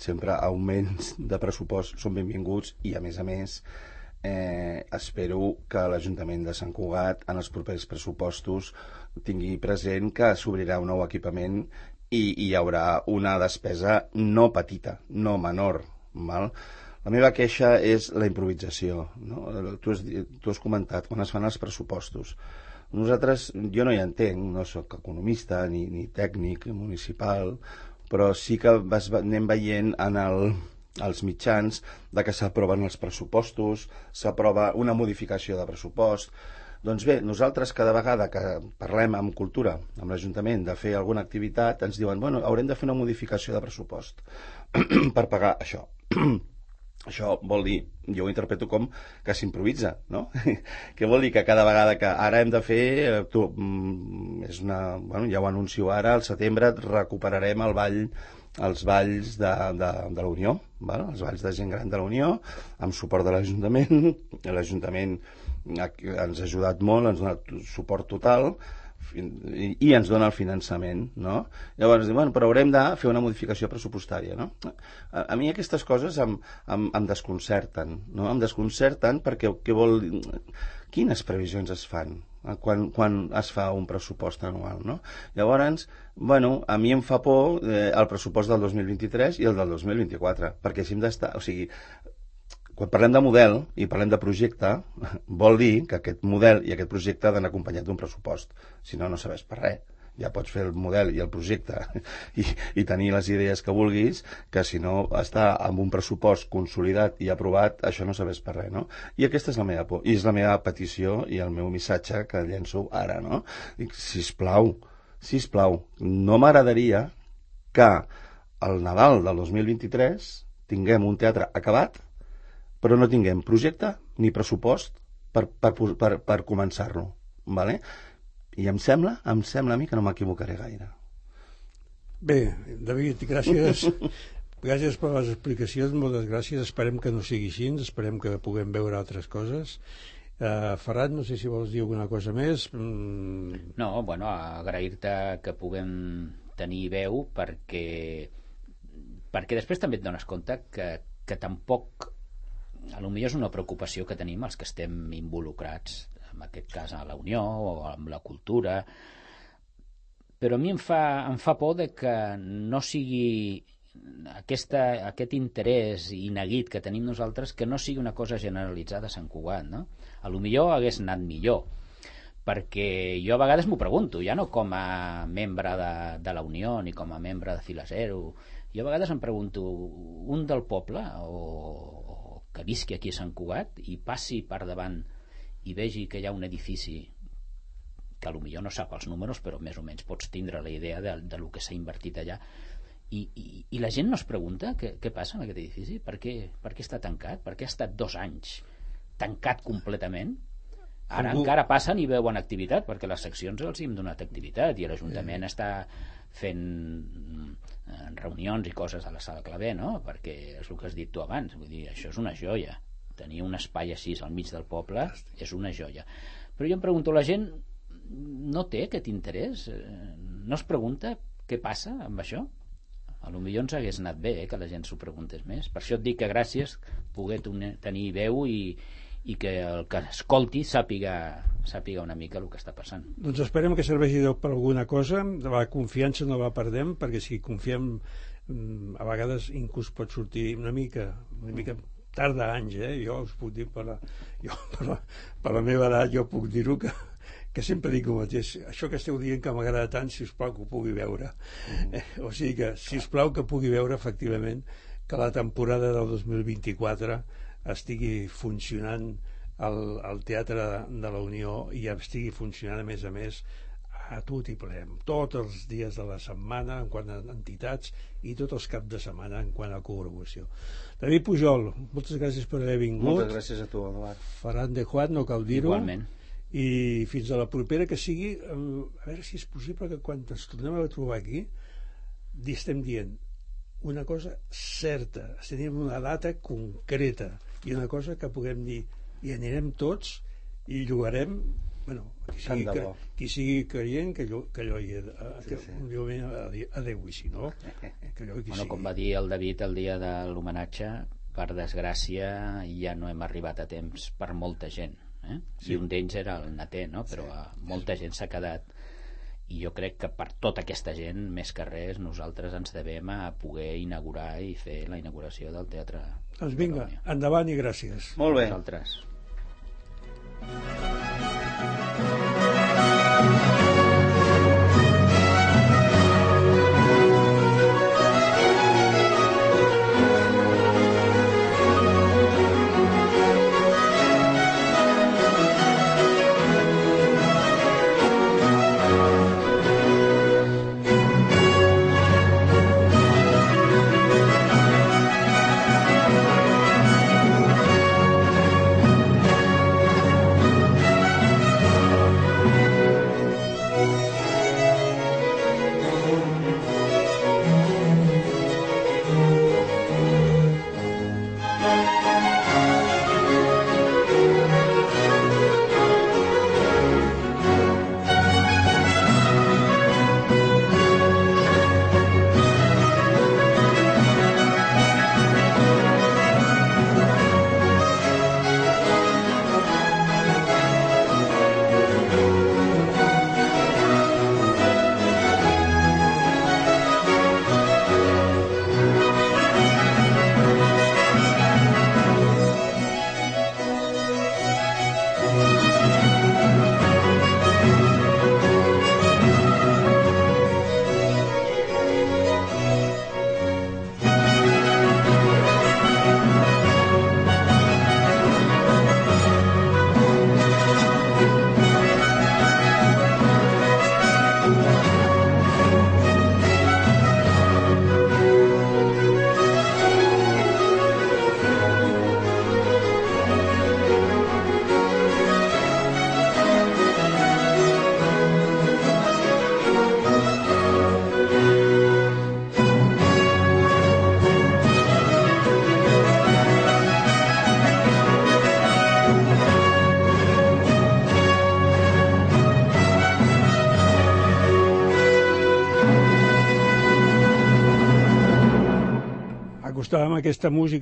sempre augments de pressupost són benvinguts i a més espero que l'Ajuntament de Sant Cugat en els propers pressupostos tingui present que s'obrirà un nou equipament i hi haurà una despesa no petita, no menor, val? La meva queixa és la improvisació, no? Tu has comentat quan es fan els pressupostos. Nosaltres, jo no hi entenc, no sóc economista ni tècnic municipal, però sí que anem veient als mitjans de que s'aproven els pressupostos, s'aprova una modificació de pressupost. Doncs bé, nosaltres cada vegada que parlem amb cultura, amb l'Ajuntament, de fer alguna activitat, ens diuen, bueno, haurem de fer una modificació de pressupost per pagar això. Això vol dir, jo ho interpreto com que s'improvisa, no? Què vol dir? Que cada vegada que ara hem de fer, ja ho anuncio ara, al setembre recuperarem els balls de la Unió, els balls de gent gran de la Unió, amb suport de l'Ajuntament. L'Ajuntament ens ha ajudat molt, ens ha donat suport total, i ens dona el finançament, no? Llavors, bueno, però haurem de fer una modificació pressupostària, no? A mi aquestes coses em desconcerten, no? Em desconcerten perquè què vol dir? Quines previsions es fan quan es fa un pressupost anual, no? Llavors, bueno, a mi em fa por el pressupost del 2023 i el del 2024, perquè si hem d'estar... O sigui, quan parlem de model i parlem de projecte, vol dir que aquest model i aquest projecte han d'anar acompanyat d'un pressupost. Si no, no serveix per res. Ja pots fer el model i el projecte i tenir les idees que vulguis, que si no està amb un pressupost consolidat i aprovat, això no serveix per res, no? I aquesta és la meva por, i és la meva petició i el meu missatge que llenço ara, no? Dic, sisplau, no m'agradaria que al Nadal del 2023 tinguem un teatre acabat però no tinguem projecte ni pressupost per començar-lo, vale? I em sembla a mi que no m'equivocaré gaire. Bé, David, gràcies per les explicacions, moltes gràcies, esperem que no sigui així, esperem que puguem veure altres coses. Ferran, no sé si vols dir alguna cosa més. No, bueno, agrair-te que puguem tenir veu perquè després també et dones compte que tampoc a lo millor és una preocupació que tenim els que estem involucrats, en aquest cas a la Unió o amb la cultura, però a mi em fa por de que no sigui aquest interès ineguit que tenim nosaltres, que no sigui una cosa generalitzada a Sant Cugat, no? A lo millor hagués anat millor, perquè jo a vegades m'ho pregunto, ja no com a membre de la Unió ni com a membre de Fila Zero, jo a vegades em pregunto, un del poble o que visqui aquí a Sant Cugat i passi per davant i vegi que hi ha un edifici que potser no sap els números però més o menys pots tindre la idea de lo que s'ha invertit allà i la gent no es pregunta què passa en aquest edifici, per què està tancat, per què ha estat 2 anys tancat completament. Ara encara passen i veuen activitat perquè les seccions els hem donat activitat i l'Ajuntament està fent reunions i coses a la Sala Clavé, no? Perquè és el que has dit tu abans, vull dir, això és una joia, tenir un espai així al mig del poble és una joia, però jo em pregunto, la gent no té aquest interès, no es pregunta què passa amb això? A lo millor ens hagués anat bé que la gent s'ho preguntés més, per això et dic que gràcies poder tenir veu i i que el que escolti sàpiga una mica el que està passant. Doncs esperem que serveixi per alguna cosa. La confiança no la perdem, perquè si confiem a vegades inclús pot sortir una mica tarda anys, jo us puc dir per la meva edat, jo puc dir-ho que sempre dic el mateix, això que esteu dient que m'agrada tant, si us plau que ho pugui veure. O sigui que, si us plau que pugui veure efectivament que la temporada del 2024 estigui funcionant al Teatre de la Unió i estigui funcionant a més a tot i ple, tots els dies de la setmana en quant a entitats i tots els caps de setmana en quant a col·laboració. David Pujol, moltes gràcies per haver vingut. Moltes gràcies a tu, Eduard. Ferran de Juan, no cal dir-ho. Igualment. I fins a la propera, que sigui, a veure si és possible que quan ens tornem a trobar aquí estem dient una cosa certa, tenim una data concreta i una cosa que puguem dir i anirem tots i jugarem, bueno, qui sigui creient que allò hi adeu i si no que allò qui sigui. Com va dir el David el dia de l'homenatge, per desgràcia ja no hem arribat a temps per molta gent, i un d'ells era el Naté, no? Però molta gent s'ha quedat, i jo crec que per tota aquesta gent, més que res, nosaltres ens devem a poder inaugurar i fer la inauguració del Teatre. Doncs vinga, endavant i gràcies. Molt bé. Nosaltres.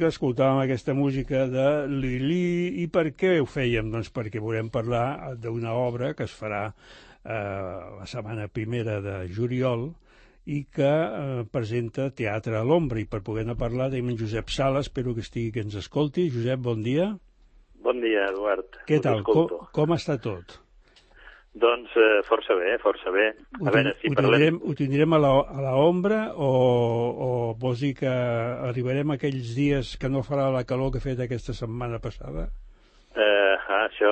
Escoltàvem aquesta música de Lili. I per què ho fèiem? Doncs perquè volem parlar d'una obra que es farà la setmana primera de juliol i que presenta Teatre a l'Ombra. I per poder-ne parlar tenim en Josep Sala, espero que ens escolti. Josep, bon dia. Bon dia, Eduard. Què tal? Com està tot? Doncs força bé, força bé. A veure si parlem... Ho tindrem a l'ombra o vols dir que arribarem a aquells dies que no farà la calor que ha fet aquesta setmana passada? Això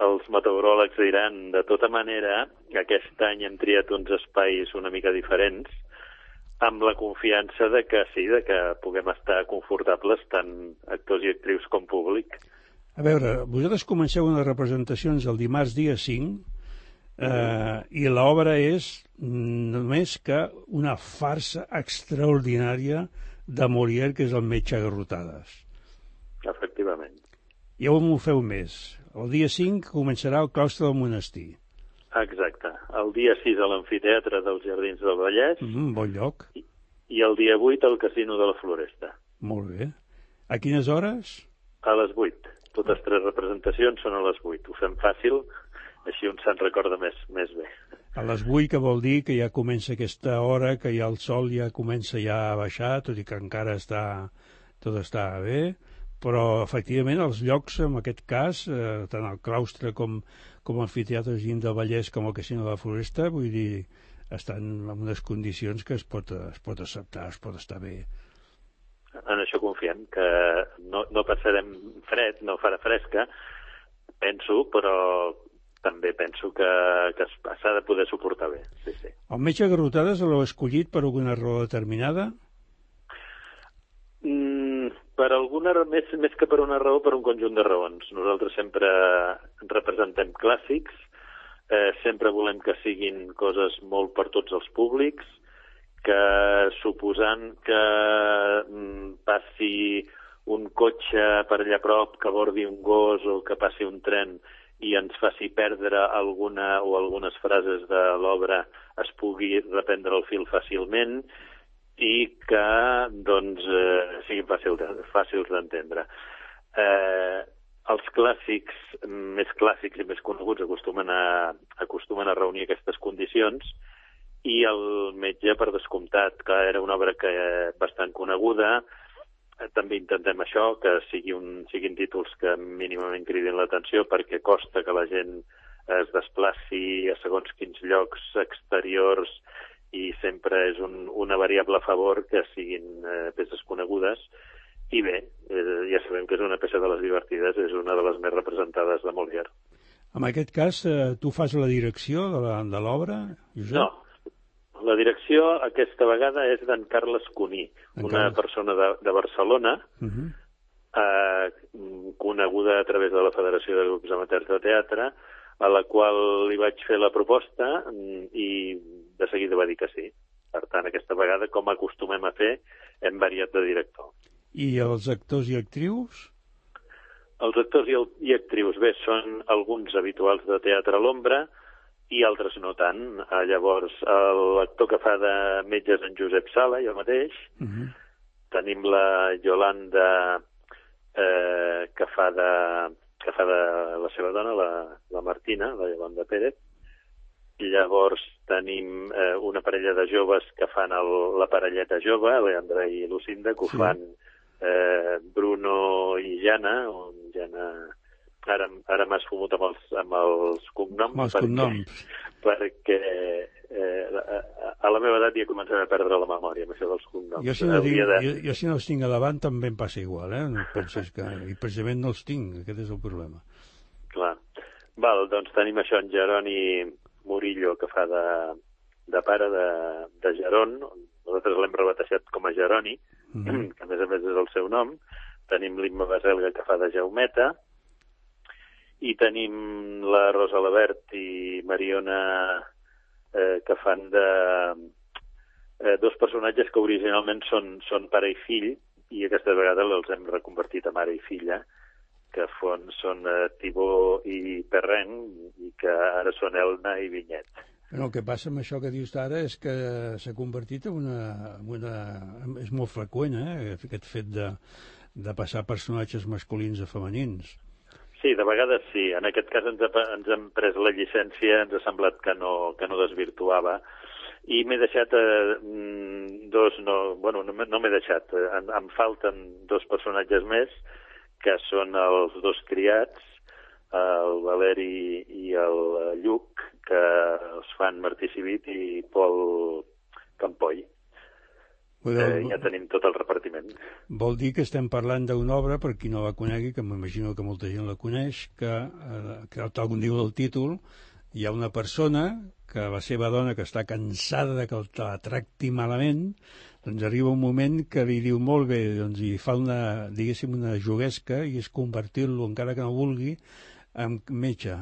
els meteoròlegs diran. De tota manera, aquest any hem triat uns espais una mica diferents amb la confiança de que sí, de que puguem estar confortables tant actors i actrius com públic. A veure, vosaltres comenceu unes representacions el dimarts dia 5 i l'obra és només que una farsa extraordinària de Molière, que és el metge a garrotades. Efectivament. I on ho feu més? El dia 5 començarà el claustre del monestir. Exacte. El dia 6 a l'amfiteatre dels Jardins del Vallès. Bon lloc. I el dia 8 al Casino de la Floresta. Molt bé. A quines hores? A les 8. totes 3 representacions són a les 8. Ho fem fàcil, així un se'n recorda més bé. A les 8, que vol dir que ja comença aquesta hora, que ja el sol ja comença ja a baixar, tot i que encara tot està bé, però efectivament els llocs, en aquest cas, tant el claustre com l'amfiteatre Gim del Vallès com el Casino de la Floresta, vull dir, estan en unes condicions que es pot acceptar, es pot estar bé. En això confiem, que no passarem fred, no farà fresca, penso, però també penso que s'ha de poder suportar bé. Sí, sí. El metge Garrotades l'heu escollit per alguna raó determinada? Per alguna, més que per una raó, per un conjunt de raons. Nosaltres sempre representem clàssics, sempre volem que siguin coses molt per tots els públics, que suposant que passi un cotxe per allà prop, que abordi un gos o que passi un tren i ens faci perdre alguna o algunes frases de l'obra, es pugui reprendre el fil fàcilment i que doncs, siguin fàcils d'entendre. Els clàssics, més clàssics i més coneguts, acostumen a reunir aquestes condicions, i el metge, per descomptat, que era una obra bastant coneguda, també intentem això, que siguin títols que mínimament cridin l'atenció, perquè costa que la gent es desplaci a segons quins llocs exteriors, i sempre és una variable a favor que siguin peces conegudes. I bé, ja sabem que és una peça de les divertides, és una de les més representades de Molière. En aquest cas, tu fas la direcció de l'obra, Josep? No, la direcció aquesta vegada és d'en Carles Cuní, una persona de Barcelona, coneguda a través de la Federació de Grups Amateurs de Teatre, a la qual li vaig fer la proposta i de seguida va dir que sí. Per tant, aquesta vegada, com acostumem a fer, hem variat de director. I els actors i actrius? Els actors i actrius, bé, són alguns habituals de Teatre a l'Ombra i altres no tant. Llavors, l'actor que fa de metge és en Josep Sala, jo mateix. Tenim la Yolanda, que fa de la seva dona, la Martina, la Yolanda Pérez. Llavors tenim una parella de joves que fan la parelleta jove, Leandra i Lucinda, que ho fan Bruno i Jana, on Jana ara m'has fumut amb els cognoms, perquè a la meva edat ja començaré a perdre la memòria amb això dels cognoms. Jo si no els tinc a davant també em passa igual, no penses que... I precisament no els tinc, aquest és el problema. Clar. Doncs tenim això, en Jeroni Murillo, que fa de pare de Geron. Nosaltres l'hem rebatejat com a Jeroni, que a més és el seu nom. Tenim l'Imma Baselga, que fa de Jaumeta, i tenim la Rosa Labert i Mariona, que fan de dos personatges que originalment són pare i fill, i aquesta vegada els hem reconvertit a mare i filla, que són Tibó i Perren, i que ara són Elna i Vinyet. El que passa amb això que dius ara és que s'ha convertit en una... És molt freqüent, aquest fet de passar personatges masculins a femenins. Sí, de vegades sí. En aquest cas ens hem pres la llicència, ens ha semblat que no desvirtuava, i m'he deixat no m'he deixat, em falten 2 personatges més, que són els 2 criats, el Valeri i el Lluc, que els fan Martí Civit i Pol Campoy. Ja tenim tot el repartiment. Vol dir que estem parlant d'una obra, per qui no la conegui, que m'imagino que molta gent la coneix, que tal com diu el títol, hi ha una persona que la seva dona, que està cansada de que la tracti malament, doncs arriba un moment que li diu molt bé, doncs, i fa una juguesca, i és convertir-lo, encara que no vulgui, en metge,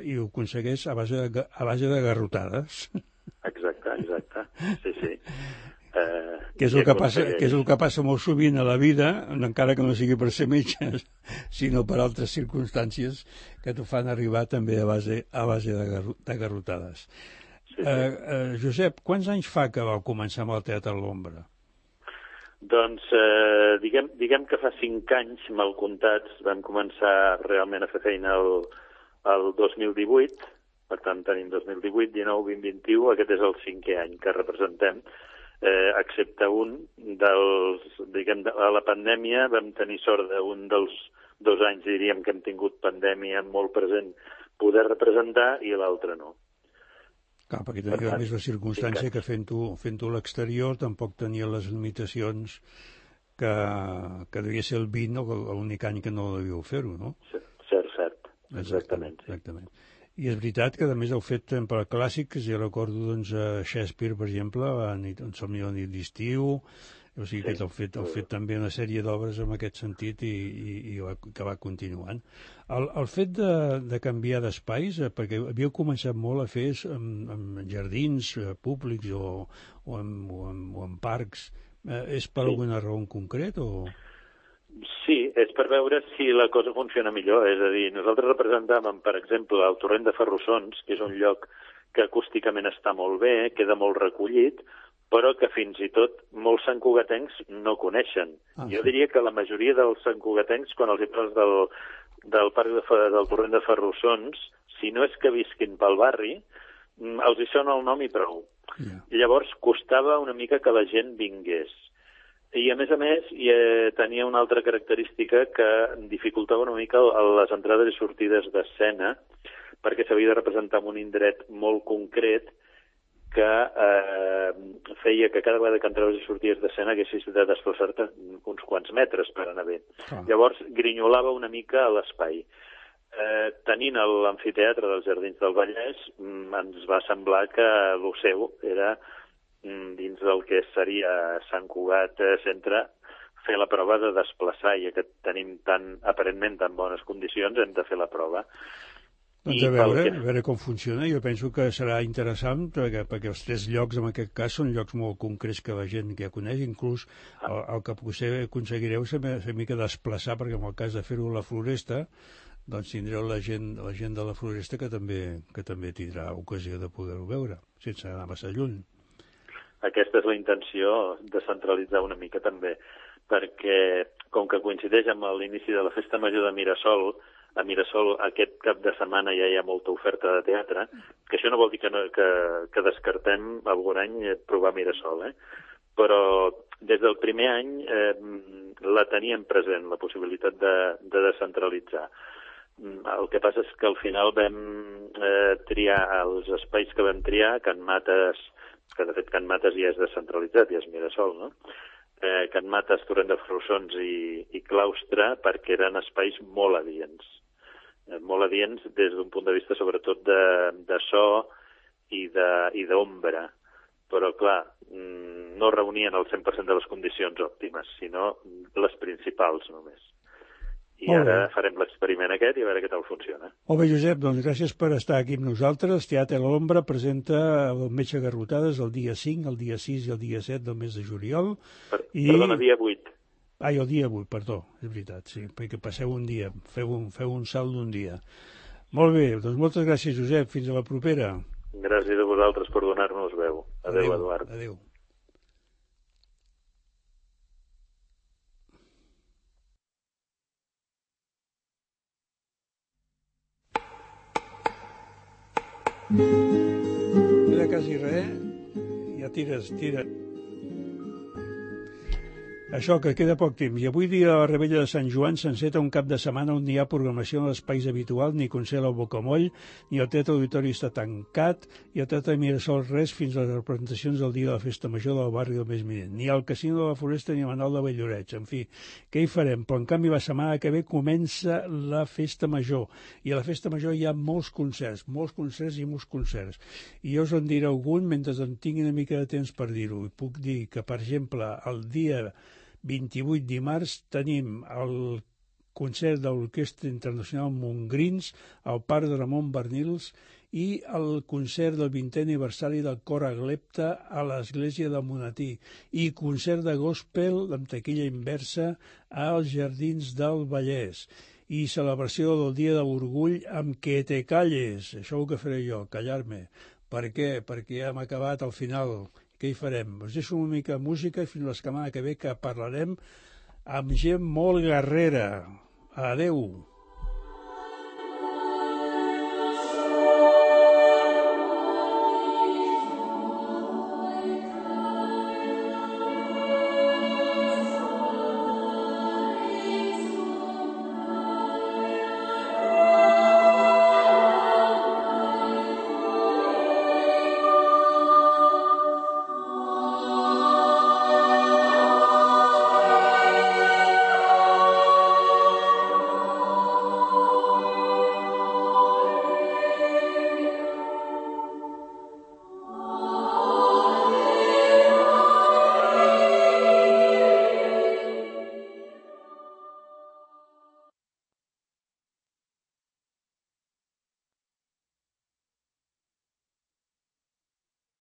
i ho aconsegueix a base de garrotades. Exacte, sí. Que és el que passa molt sovint a la vida, encara que no sigui per ser metge, sinó per altres circumstàncies que t'ho fan arribar també a base de garrotades. Josep, quants anys fa que vau començar amb el Teatre a l'Ombra? Doncs diguem que fa 5 anys, mal comptats, vam començar realment a fer feina el 2018, per tant tenim 2018, 19, 20, 21, aquest és el 5è any que representem, excepte un dels, a la pandèmia vam tenir sort d'un dels 2 anys, diríem, que hem tingut pandèmia molt present, poder representar, i l'altre no. Clar, perquè tenia més la circumstància que fent-ho a l'exterior tampoc tenia les limitacions que devia ser el 20, l'únic any que no devíeu fer-ho, no? Cert. Exactament. I és veritat que, a més, heu fet per clàssics, jo recordo, doncs, Shakespeare, per exemple, en Somni de nit d'estiu, o sigui que heu fet també una sèrie d'obres en aquest sentit i que va continuant. El fet de canviar d'espais, perquè havíeu començat molt a fer en jardins públics o en parcs, és per alguna raó en concret o...? Sí, és per veure si la cosa funciona millor. És a dir, nosaltres representàvem, per exemple, el Torrent de Ferrussons, que és un lloc que acústicament està molt bé, queda molt recollit, però que fins i tot molts santcugatencs no coneixen. Jo diria que la majoria dels santcugatencs, quan els hi parles del parc del Torrent de Ferrussons, si no és que visquin pel barri, els hi sona el nom i prou. I llavors costava una mica que la gent vingués. I, a més, tenia una altra característica que dificultava una mica les entrades i sortides d'escena, perquè s'havia de representar en un indret molt concret que feia que cada vegada que entraves i sorties d'escena haguessis de desplaçar-te uns quants metres per anar bé. Llavors, grinyolava una mica l'espai. Tenint l'amfiteatre dels Jardins del Vallès, ens va semblar que el seu era... dins del que seria Sant Cugat Centre, fer la prova de desplaçar, i que tenim aparentment tan bones condicions, hem de fer la prova. Doncs a veure com funciona. Jo penso que serà interessant, perquè els 3 llocs, en aquest cas, són llocs molt concrets que la gent ja coneix, inclús el que potser aconseguireu ser una mica desplaçar, perquè en el cas de fer-ho a la Floresta, doncs tindreu la gent de la Floresta que també tindrà ocasió de poder-ho veure, sense anar massa lluny. Aquesta és la intenció, de centralitzar una mica també, perquè com que coincideix amb l'inici de la Festa Major de Mirasol, a Mirasol aquest cap de setmana ja hi ha molta oferta de teatre, que això no vol dir que descartem algun any provar Mirasol, però des del primer any la teníem present, la possibilitat de descentralitzar. El que passa és que al final vam triar els espais que vam triar, Can Mates, que de fet Can Mates ja és descentralitzat, ja és Mirasol, no? Can Mates, Torrent de Ferrussons i Claustre, perquè eren espais molt adients. Molt adients des d'un punt de vista sobretot de so i d'ombra. Però, clar, no reunien el 100% de les condicions òptimes, sinó les principals només. I ara farem l'experiment aquest i a veure què tal funciona. Molt bé, Josep, doncs gràcies per estar aquí amb nosaltres. Teatre a l'Ombra presenta el Metge Garrotades el dia 5, el dia 6 i el dia 7 del mes de juliol. Perdona, dia 8. El dia 8, perdó, és veritat, sí, perquè passeu un dia, feu un salt d'un dia. Molt bé, doncs moltes gràcies, Josep, fins a la propera. Gràcies a vosaltres per donar-nos veu. Adéu, Eduard. Adéu. Queda quasi res, ja tira. Això, que queda poc temps. I avui dia a la Rebella de Sant Joan s'enceta un cap de setmana on hi ha programació en l'espais habitual, ni concert al Bocamoll, ni el Teatre Auditori està tancat, i el Teatre de Mirasol res fins a les representacions del dia de la Festa Major del barri del mes minent. Ni al Casino de la Floresta ni a Manal de Valldoreix. En fi, què hi farem? Però en canvi la setmana que ve comença la Festa Major. I a la Festa Major hi ha molts concerts. I jo us en diré algun mentre en tingui una mica de temps per dir-ho. I puc dir que, per exemple, el dia 28 dimarts tenim el concert de l'Orquestra Internacional Montgrins al Parc de Ramon Barnils i el concert del 20è aniversari del Cor Aglepta a l'Església de Monatí i concert de gospel amb taquilla inversa als Jardins del Vallès i celebració del Dia de l'Orgull amb Que te calles, això ho que faré jo, callar-me. Per què? Perquè ja hem acabat al final. què hi farem? Us deixo una mica de música i fins la setmana que ve que parlarem amb gent molt guerrera. Adeu!